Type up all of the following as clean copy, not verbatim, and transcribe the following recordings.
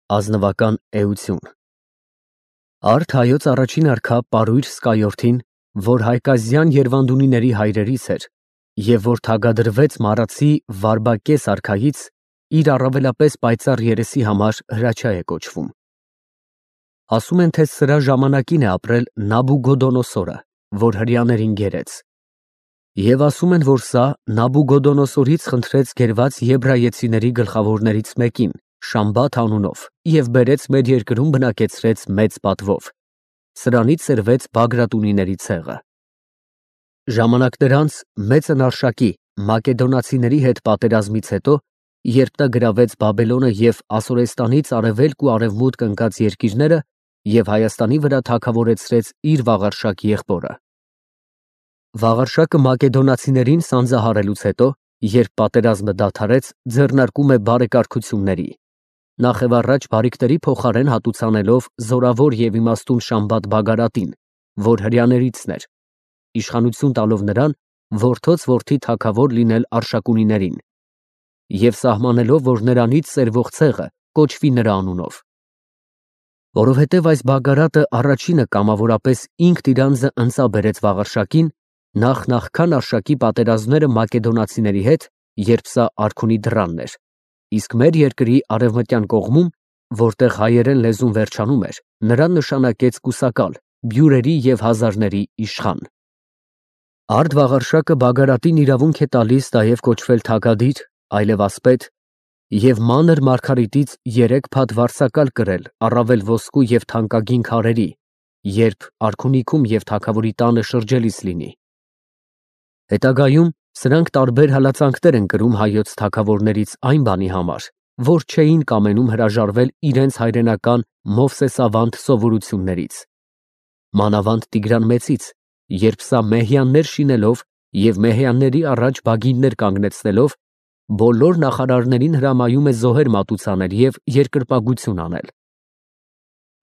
Ազնվական էություն։ Արդ հայոց առաջին արքա Պարույր Սկայորդին, որ հայկազյան Երվանդունիների հայրերից էր, և որ թագադրվեց Մարացի Վարբակես արքայից, իր առավելապես պայծառ երեսի համար Հրաչյա է կոչվում։ Ասում են, թե սրա ժամանակին է ապրել Նաբուգոդոնոսորը, որ հրեաներին գերեց։ Եվ ասում են, որ սա Նաբուգոդոնոսորից խնդրեց գերված եբրայեցիների գլխավորներից մեկին, Շամբաթ անունով, և բերեց մեր երկրում բնակեցրեց մեծ պատվով։ Սրանից սերվեց Բագրատունիների ցեղը։ Ժամանակներ անց մեծն Արշակի մակեդոնացիների հետ պատերազմից հետո, երբ նա գրավեց Բաբելոնը և Ասորեստանից արևելք ու արևմուտք ընկած երկիրները և Հայաստանի վրա թագավորեցրեց իր Վաղարշակ եղբորը։ Վաղարշակը մակեդոնացիներին սանձահարելուց հետո, երբ պատերազմը դադարեց, ձեռնարկում է բարեկարգությունների, նախևառաջ բարիքների փոխարեն հատուցանելով զորավոր և իմաստուն Շամբաթ Բագարատին, որ հրեաներիցն էր, իշխանություն տալով նրան, որդոց որդի թագավոր լինել Արշակունիներին, և սահմանելով, որ նրանից սերվող ցեղը կոչվի նրա անունով։ Որովհետև այս Բագարատը առաջինը կամավորապես ինքն իր անձը ընծա բերեց Վաղարշակին, նախքան Արշակի պատերազմները մակեդոնացիների հետ, երբ սա արքունի դռանն էր, իսկ մեր երկրի արևմտյան կողմում, որտեղ հայերեն լեզուն վերջանում էր, նրան նշանակեց կուսակալ, բյուրերի և հազարների իշխան։ Արդ Վաղարշակը Բագարատին իրավունք է տալիս նաև կոչվել թագադիր, այլևասպետ և մանր մարգարիտից 3 փաթ վարձակալ կրել առավել ոսկու և թանկագին քարերի, երբ արքունիքում և թագավորի տանը շրջելիս լինի։ Հետագայում սրանք տարբեր հալածանքներ են կրում հայոց թագավորներից այն բանի համար, որ չէին կամենում հրաժարվել իրենց հայրենական Մովսեսավանդ սովորություններից։ Մանավանդ Տիգրան Մեծից, երբ սա մեհյաններ շինելով և մեհյանների առաջ բագիններ կանգնեցնելով, բոլոր նախարարներին հրամայում է զոհեր մատուցանել և երկրպագություն անել։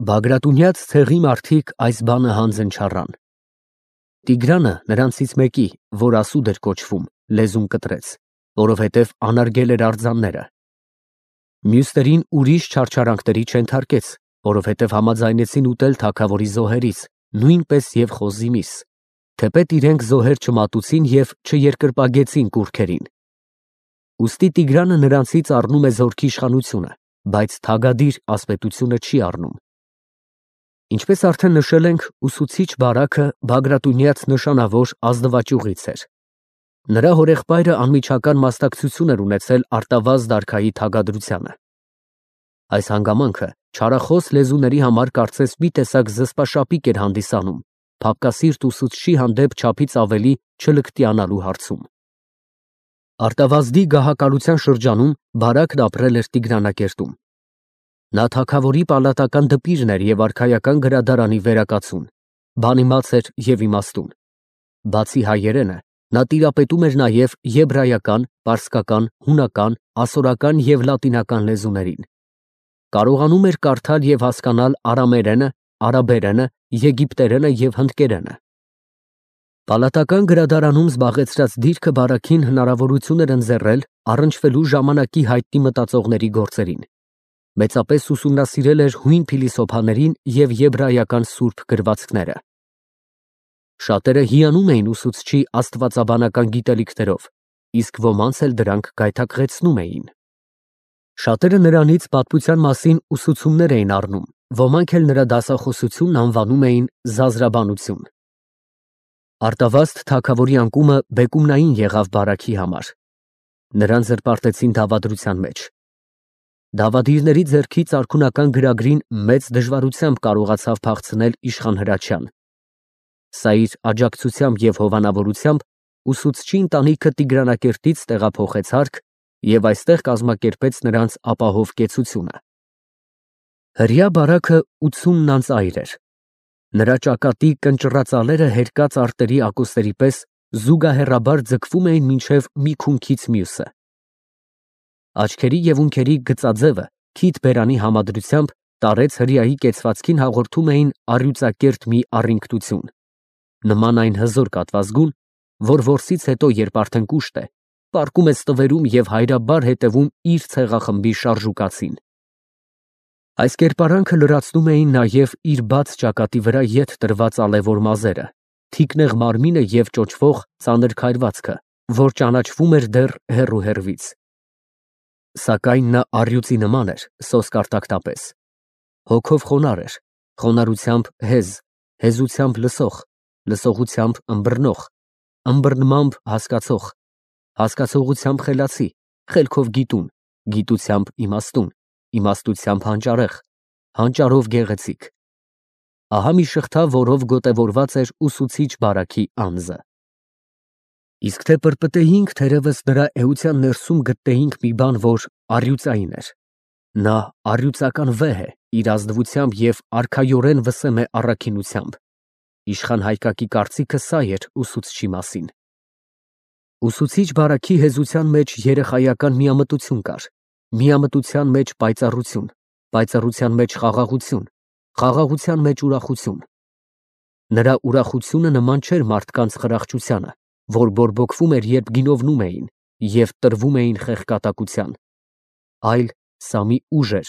Բագրատունյաց ցեղի մարդիկ այս բանը հանձն չառան։ Տիգրանը նրանցից մեկի, որ Ասուդ էր կոչվում, լեզուն կտրեց, որովհետև անարգել էր արձանները։ Մյուսներին ուրիշ չարչարանքների չենթարկեց, որովհետև համաձայնեցին ուտել թագավորի զոհերից, նույնպես և խոզի միս, թեպետ իրենք զոհեր չմատուցին և չերկրպագեցին կուռքերին։ Ուստի Տիգրանը նրանցից առնում է զորքի իշխանությունը, բայց թագադիր ասպետությունը չի առնում։ Ինչպես արդեն նշել ենք, ուսուցիչ Բարաքը Բագրատունյաց նշանավոր ազնվաճյուղից էր։ Նրա հորեղբայրը անմիջական մասնակցություն էր ունեցել Արտավազդ արքայի թագադրությանը։ Այս հանգամանքը չարախոս լեզուների համար կարծես մի տեսակ զսպաշապիկ էր հանդիսանում փափկասիրտ ուսուցչի հանդեպ չափից ավելի չլկտիանալու հարցում։ Արտավազդի գահակալության շրջանում Բարակն ապրել էր Տիգրանակերտում։ Նա թագավորի պալատական դպիրն էր և արքայական գրադարանի վերակացուն, բանիմաց էր և իմաստուն։ Բացի հայերենը, նա տիրապետում էր նաև եբրայական, պարսկական, հունական, ասորական և լատինական լեզուներին։ Կարողանում էր կարդալ և հասկանալ արամերենը, արաբերենը, եգիպտերենը և հնդկերենը։ Պալատական գրադարանում զբաղեցրած դիրքը Բարաքին հնարավորություն էր ընձեռել առնչվելու ժամանակի հայտնի մտածողների գործերին։ Մեծապես ուսումնասիրել էր հույն փիլիսոփաներին և եբրայական սուրբ գրվածքները։ Շատերը հիանում էին ուսուցչի աստվածաբանական գիտելիքներով, իսկ ոմանց էլ դրանք գայթակղեցնում էին։ Շատերը նրանից պատմության մասին ուսուցումներ էին առնում, ոմանք էլ նրա դասախոսությունն անվանում էին զազրաբանություն։ Արտավազդ թագավորի անկումը բեկումնային եղավ Բարաքի համար։ Նրան զրպարտեցին դավադրության մեջ։ Դավադիրների ձեռքից արքունական գրագրին մեծ դժվարությամբ կարողացավ փախցնել իշխան Հրաչյան։ Սա իր աջակցությամբ և հովանավորությամբ ուսուցչի ընտանիքը Տիգրանակերտից տեղափոխեց հարկ և այստեղ կազմակերպեց նրանց ապահով կեցությունը։ Հրեա Բարաքը 80 անց էր։ Նրա ճակատի կնճռածալերը հերկած արտերի ակոսների պես զուգահեռաբար ձգվում էին մինչև մի քունքից մյուսը։ Աչքերի և ունքերի գծաձևը քիթ բերանի համադրությամբ տարեց հրեայի կեցվածքին հաղորդում էին առյուծակերտ մի առինգտություն, նման այն հզոր կատվազգուն, որ որսից հետո, երբ արդեն կուշտ է, պառկում է ստվերում և հայրաբար հետևում իր ցեղախմբի շարժուկացին։ Այս կերպարանքը լրացնում էին նաև իր բաց ճակատի վրա ետ տրված ալևոր մազերը, թիկնեղ մարմինը և ճոճվող ծանր քայլվածքը, որ ճանաչվում էր դեռ հեռու֊հեռվից։ Սակայն նա առյուծի նման էր, սոսկ արտակնապես, հոգով խոնարհ էր, խոնարհությամբ հեզ, հեզությամբ լսող, լսողությամբ ըմբռնող, ըմբռնմամբ հասկացող, հասկացողությամբ խելացի, խելքով գիտուն, գիտությամբ իմաստուն, իմաստությամբ հանճարեղ, հանճարով գեղեցիկ։ Ահա մի շղթա, որով գոտևորված էր ուսուցիչ բարաքի անձը։ Իսկ թե պրպտեինք, թերևս նրա էության ներսում գտնեինք մի բան, որ առյուծային էր։ Նա առյուծական վեհ է իր ազնվությամբ և արքայորեն վսեմ է առաքինությամբ։ Իշխան Հայկակի կարծիքը սա էր ուսուցչի մասին։ Ուսուցիչ բարաքի հեզության մեջ երեխայական միամտություն կար, միամտության մեջ պայծառություն, պայծառության մեջ խաղաղություն, խաղաղության մեջ ուրախություն։ Նրա ուրախությունը նման չէր մարդկանց խրախճությանը, որ բորբոքվում էր, երբ գինովնում էին և տրվում էին խեղկատակության, այլ սա մի ուժ էր,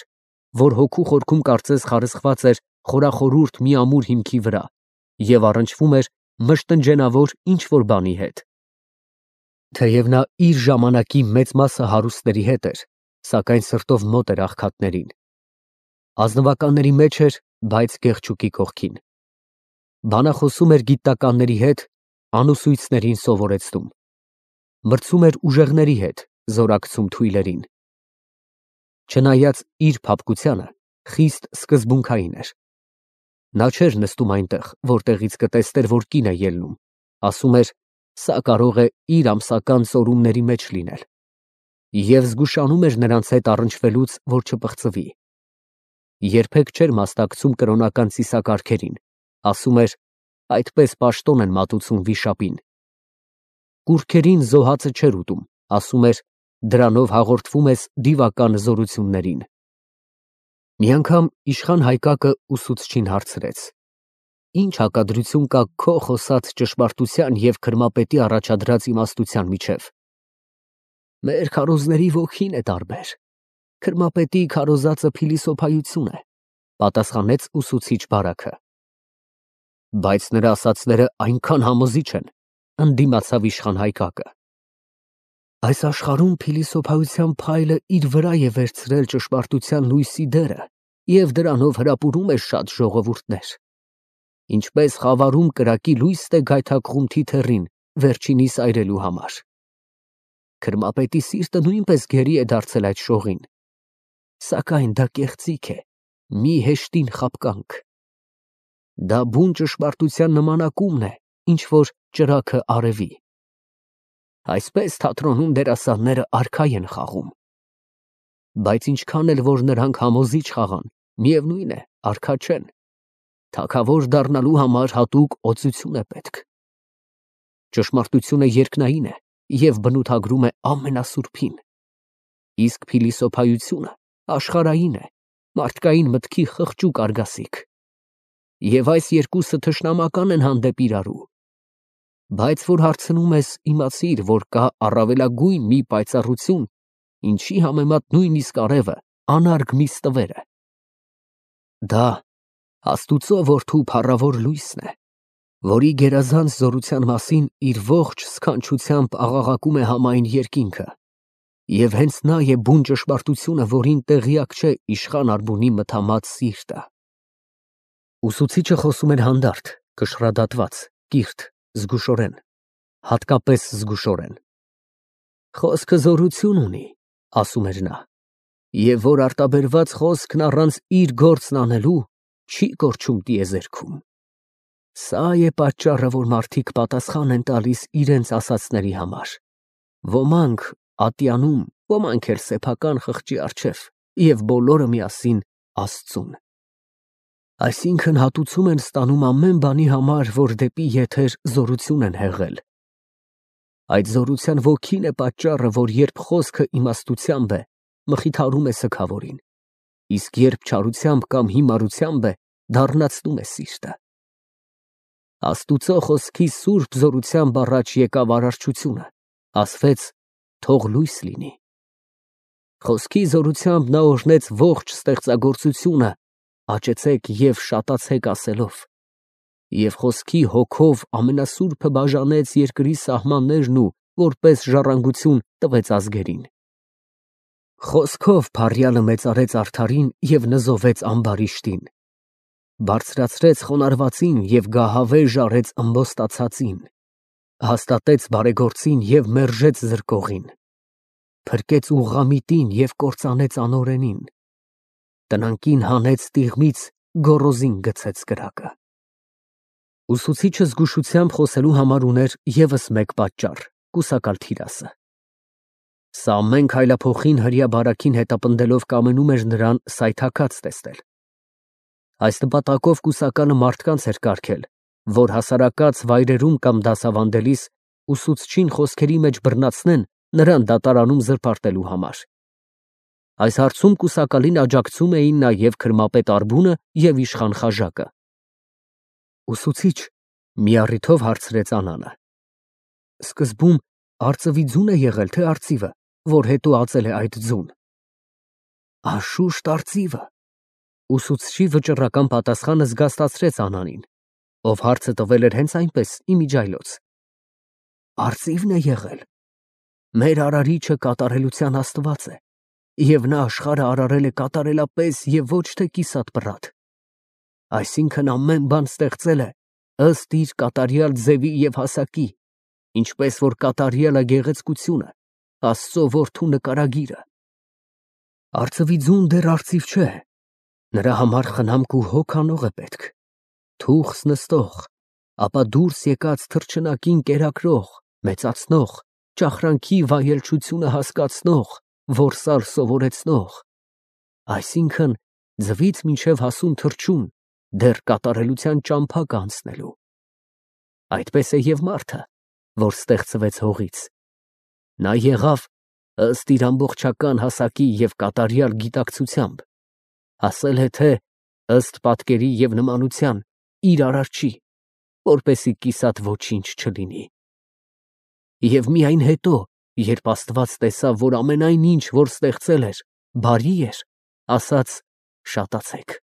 որ հոգու խորքում կարծես խարսխված էր խորախորուրդ մի ամուր հիմքի վրա և առնչվում էր մշտնջենավոր ինչ-որ բանի հետ։ Թեև նա իր ժամանակի մեծ մասը հարուստների հետ էր, սակայն սրտով մոտ էր աղքատներին։ Ազնվականների մեջ էր, բայց գեղչուկի կողքին։ Բանախոսում էր գիտնականների հետ, անուսույցներին սովորեցնում։ Մրցում էր ուժեղների հետ, զորակցում թույլերին։ Չնայած իր փափկությանը, խիստ սկզբունքային էր։ Նա չէր նստում այնտեղ, որտեղից կտեսներ, որ կին է ելնում, ասում էր, սա կարող է իր ամսական ծորումների մեջ լինել, և զգուշանում էր նրանց հետ առնչվելուց, որ չպղծվի։ Երբեք չէր մասնակցում կրոնական ծիսակարգերին, ասում էր, այդպես պաշտոն են մատուցում վիշապին։ Կուռքերին զոհածը չէր ուտում, ասում էր, դրանով հաղորդվում ես դիվական զորություններին։ Մի անգամ իշխան Հայկակը ուսուցչին հարցրեց. «Ինչ հակադրություն կա քո խոսած ճշմարտության և քրմապետի առաջադրած իմաստության միջև»։ Մեր քարոզների ոգին է տարբեր։ Քրմապետի քարոզածը փիլիսոփայություն է, պատասխանեց ուսուցիչ բարաքը։ Բայց նրա ասածները այնքան համոզիչ են, ընդդիմացավ իշխան Հայկակը։ Այս աշխարհում փիլիսոփայության փայլը իր վրա է վերցրել ճշմարտության լույսի դերը և դրանով հրապուրում է շատ ժողովուրդներ։ Ինչպես խավարում կրակի լույսն է գայթակղում թիթեռին վերջինիս այրելու համար։ Քրմապետի սիրտը նույնպես գերի է դարձել այդ շողին։ Սակայն դա կեղծիք է, մի հեշտին խաբկանք։ Դա բուն ճշմարտության նմանակումն է, ինչ որ ճրագը արևի։ Այսպես թատրոնում դերասանները արքայ են խաղում։ Բայց ինչքան էլ որ նրանք համոզիչ խաղան, միևնույն է, արքա չեն։ Թագավոր դառնալու համար հատուկ օծություն է պետք։ Ճշմարտությունը երկնային է և բնութագրում է ամենասուրբին։ Իսկ փիլիսոփայությունը աշխարհային է, մարդկային մտքի խղճուկ արգասիք։ Եվ այս երկուսը թշնամական են հանդեպ իրարու։ Բայց որ հարցնում ես, իմացիր, որ կա առավելագույն մի պայծառություն, ինչի համեմատ նույնիսկ արևը անարգ մի ստվեր է։ Դա Աստուծո որդու փառավոր լույսն է, որի գերազանց զորության մասին իր ողջ սքանչությամբ աղաղակում է համայն երկինքը, և հենց նա է բուն ճշմարտությունը, որին տեղյակ չէ իշխան Արբունի մթամած սիրտը։ Ուսուցիչը խոսում էր հանդարտ, կշռադատված, կիրթ, զգուշորեն, հատկապես զգուշորեն։ Խոսքը զորություն ունի, ասում էր նա, և որ արտաբերված խոսքն առանց իր գործն անելու չի կորչում տիեզերքում։ Սա է պատճառը, որ մարդիկ պատասխան են տալիս իրենց ասածների համար։ Ոմանք ատյանում, ոմանք էլ սեփական խղճի առջև, և բոլորը միասին Աստծուն։ Այսինքն հատուցում են ստանում ամեն բանի համար, որ դեպի եթեր զորություն են հեղել։ Այդ զորության ոգին է պատճառը, որ երբ խոսքը իմաստությամբ է, մխիթարում է սգավորին, իսկ երբ չարությամբ կամ հիմարությամբ է, դառնացնում է սիրտը։ Աստուծո խոսքի սուրբ զորությամբ առաջ եկավ արարչությունը, ասվեց. թող լույս լինի։ Խոսքի զորությամբ նա օրհնեց ողջ ստեղծագործությունը, աճեցեք և շատացեք ասելով, և խոսքի հոգով ամենասուրբը բաժանեց երկրի սահմաններն ու որպես ժառանգություն տվեց ազգերին։ Խոսքով փառյալը մեծարեց արդարին և նզովեց ամբարիշտին, բարձրացրեց խոնարհվածին և գահավեժ արեց ըմբոստացածին, հաստատեց բարեգործին և մերժեց զրկողին, փրկեց ուղղամիտին և կործանեց անօրենին, տնանկին հանեց տիղմից, գոռոզին գցեց կրակը։ Ուսուցիչը զգուշությամբ խոսելու համար ուներ ևս մեկ պատճառ՝ կուսակալ Թիրասը։ Սա ամեն քայլափոխին հրեա բարաքին հետապնդելով կամենում էր նրան սայթաքած տեսնել։ Այս նպատակով կուսակալը մարդկանց էր կարգել, որ հասարակած վայրերում կամ դասավանդելիս ուսուցչին խոսքերի մեջ բռնացնեն նրան դատարանում զրպարտելու համար։ Այս հարցում կուսակալին աջակցում էին նաև քրմապետ Արբունը և իշխան Խաժակը։ Ուսուցիչ, մի առիթով հարցրեց Անանը, սկզբում արծվի ձուն է եղել, թե արծիվը, որ հետո ածել է այդ ձուն։ Անշուշտ արծիվը։ Ուսուցչի վճռական պատասխանը զգաստացրեց Անանին, ով հարցը տվել էր հենց այնպես, իմիջիայլոց։ Արծիվն է եղել։ Մեր արարիչը կատարելության Աստված է, և նա աշխարհը արարել է կատարելապես և ոչ թե կիսատ֊պռատ։ Այսինքն ամեն բան ստեղծել է ըստ իր կատարյալ ձևի և հասակի, ինչպես որ կատարյալ է գեղեցկությունը, Աստծո որդու նկարագիրը։ Արծվի ձուն դեռ արծիվ չէ, նրա համար խնամք ու հոգ անող է պետք, թուղթ նստող, ապա դուրս եկած թռչնակին կերակրող, մեծացնող, ճախրանքի վայելչությունը հասկացնող, որսալ սովորեցնող, այսինքն ձվից մինչև հասուն թռչուն դեռ կատարելության ճամփա կա անցնելու։ Այդպես է և մարդը, որ ստեղծվեց հողից։ Նա եղավ ըստ իր ամբողջական հասակի և կատարյալ գիտակցությամբ, ասել է թե ըստ պատկերի և նմանության իր արարչի, որպեսզի կիսատ ոչինչ չլինի։ Եվ միայն հետո, երբ Աստված տեսավ, որ ամենայն ինչ, որ ստեղծել էր, բարի էր, ասաց. «Շատացեք»։